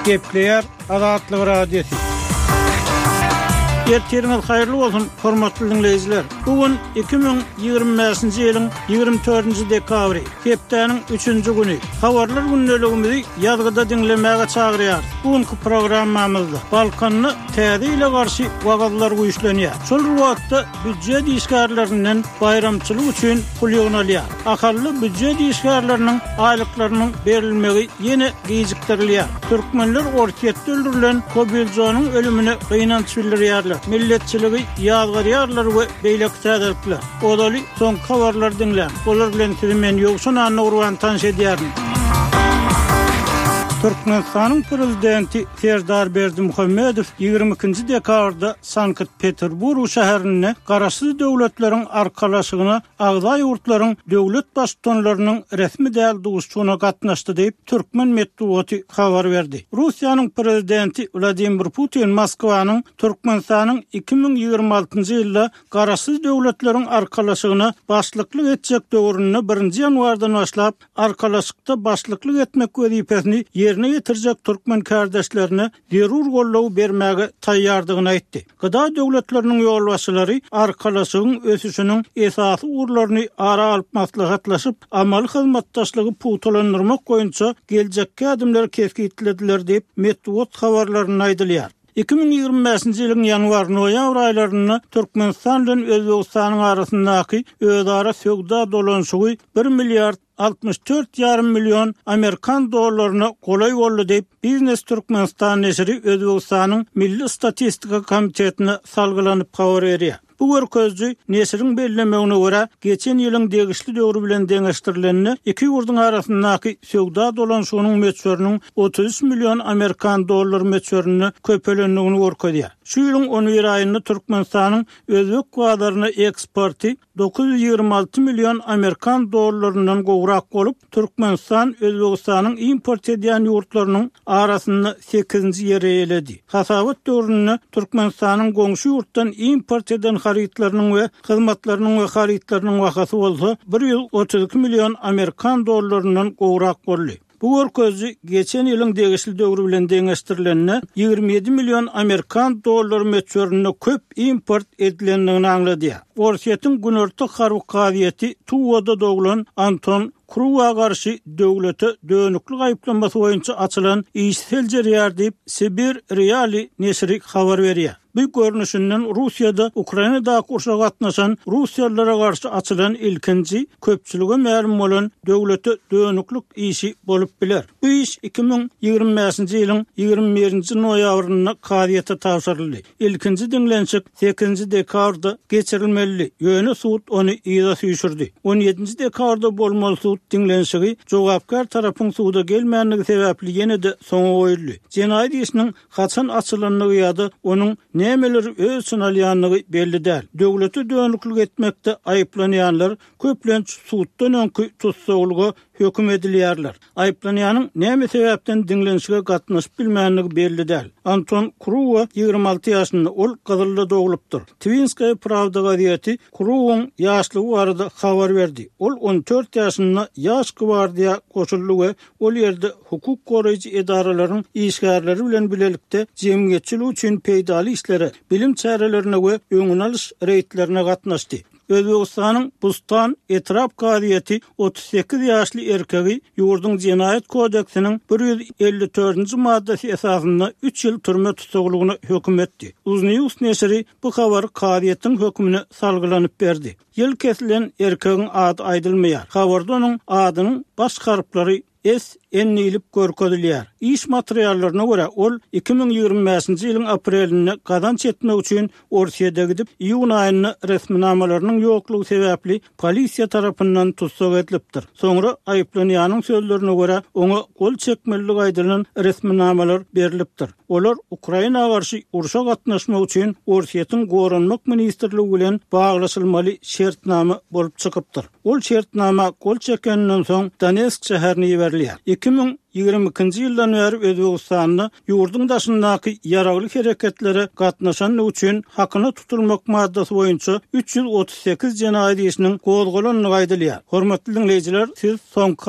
Gepleýär Azatlyk Radiosy. Ertiriňiz haýyrly bolsun, hormatly diňleýjiler! Bu gün 2025-nji ýylyň 24-nji dekabry, hepdäniň üçünji güni. Habarlar gündeligimizi ýazgyda diňlemäge çagyrýarys. Bu günki programmamyzda Balkanda Täze ýyla garşy wagyzlar güýçlenýär. Şol bir wagtda býujet işgärlerinden baýramçylyk üçin pul ýygnalýar. Ahally býujet işgärleriniň aýlyklarynyň berilmegi ýene gijikdirilýär. Türkmenler Orsýetde öldürilen Kobiljonyň ölümine gynanç bildirýärler, milletçiligi ýazgarýarlar we beýleki täzelikler. Ozaly soňky habarlary diňläň. Olar bilen sizi men Ýowşan Annagurban tanyş edýärin. Türkmenistanyň Prezidenti Serdar Berdimuhamedow 22-nji dekabrda Sankt-Peterburg şäherinde Garaşsyz Döwletleriň Arkalaşygyna agza ýurtlaryň döwlet Baştutanlarynyň resmi däl duşuşygyna gatnaşdy diýip, türkmen metbugaty habar berdi. Russiýanyň Prezidenti Wladimir Putin Moskwanyň Türkmenistanyň 2026-njy ýylda Garaşsyz Döwletleriň Arkalaşygyna başlyklyk etjek döwründe birinji ýanwardan başlap Arkalaşykda başlyklyk etmek wezipesini ýerine ýetirjek türkmen kärdeşlerine zerur goldawy bermäge taýýardygyny aýtdy. GDA döwletleriniň ýolbaşçylary Arkalaşygyň ösüşiniň esasy ugurlaryny ara alyp maslahatlaşyp, amaly hyzmatdaşlygy pugtalandyrmak boýunça geljekki ädimleri kesgitlediler diýip, metbugat habarlarynda aýdylýar. 2025-nji ýylyň ýanwar-noýabr aýlarynda Türkmenistan bilen Özbegistanyň arasyndaky özara söwda dolanyşygy bir milliard 64 ýarym million amerikan dollaryna golaý boldy diýip, Biznes Türkmenistan neşiri Özbegistanyň Milli statistika komitetine salgylanyp habar berýär. Bu görkeziji, neşiriň bellemegine görä, geçen ýylyň degişli döwri bilen deňeşdirilende, iki ýurduň arasyndaky söwda dolanyşygynyň möçberiniň 33 million amerikan dollary möçberinde köpelendigini görkezýär. Şu ýylyň on bir aýynda Türkmenistanyň özbek bazaryna eksporty 926 million amerikan dollaryndan gowrak bolup, Türkmenistan Özbegistanyň import edýän ýurtlarynyň arasynda sekizinji ýeri eýeledi. Hasabat döwründe Türkmenistanyň goňşy ýurtdan import eden harytlarynyň we hyzmatlarynyň we harytlarynyň bahasy bolsa 132 million amerikan dollaryndan gowrak boldy. Bu görkeziji geçen ýylyň degişli döwri bilen deňeşdirilende 27 million amerikan dollary möçberinde köp import edilendigini aňladýar. Orsýetiň Günorta harby kazyýeti Tuwada doglan Anton Kruwa garşy döwlete dönüklik aýyplamasy boýunça açylan işi seljerýär diýip, Sibir Realii neşiri habar berýär. Bu görnüşinden Russiýada Ukrainadaky urşa gatnaşan russiýalylara garşy açylan ilkinji köpçülige mälim bolan döwlete dönüklik işi bolup biler. Bu iş 2025-nji ýylyň 21-nji noýabrynda kazyýete tabşyryldy. Ilkinji diňlenişik sekizinji dekabrda geçirilmelidi, ýöne sud ony yza süýşürdi. On ýedinji dekabrda bolmaly sud diňlenişigi jogapkär tarapyň suda gelmändigi sebäpli ýene-de soňa goýuldy. Jenaýat işiniň haçan açylandygy ýa-da onuň nämeleri öz içine alýandygy belli däl. Döwlete dönüklik etmekde aýyplanýanlar köplenç suddan öňki tussaglyga höküm edilýärler. Aýyplanýanyň näme sebäpden diňlenişige gatnaşyp bilmändigi belli däl. Anton Kruwa 26 ýaşynda, ol Gyzylda doglupdyr. Twinskaýa prawda gazeti Kruwyň ýaşlygy barada habar berdi. Ol 14 ýaşynda Ýaş gwardiýa goşuldy we ol ýerde hukuk goraýjy edaralaryň işgärleri bilen bilelikde jemgyýetçilik üçin peýdaly işlere, bilim çärelerine we öňüni alyş reýdlerine gatnaşdy. Özbegistanyň Bustan etrap kazyýeti 38 ýaşly erkegi ýurduň Jenaýat kodeksiniň 154-nji maddasy esasynda üç ýyl türme tussaglygyna höküm etdi. Uznews neşiri bu habary kazyýetiň hökümine salgylanyp berdi. Ýyl kesilen erkegiň ady aýdylmaýar. Habarda onuň adynyň baş harplary SN diýlip görkezilýär. Iş materiallaryna görä, ol 2025-nji ýylyň aprelinde gazanç etmek üçin Orsýete gidip, iýun aýynda resminamalarynyň ýoklugy sebäpli polisiýa tarapyndan tussag edilipdir. Soňra, aýyplanýanyň sözlerine görä, oňa gol çekmelidigi aýdylan resminamalar berlipdir. Olar Ukraina garşy urşa gatnaşmak üçin Orsýetiň Goranmak ministrligi bilen baglaşylmaly şertnama bolup çykypdyr. Ol şertnama gol çekeninden soň Donetsk şäherine iberilýär. 2022-nji ýyldan bäri Özbegistanda ýurduň daşyndaky ýaragly hereketlere gatnaşandygy üçin hakyna tutulmak maddasy boýunça 338 jenaýat işiniň gozgalandygy aýdylýar. Hormatly diňleýjiler, siz soňky.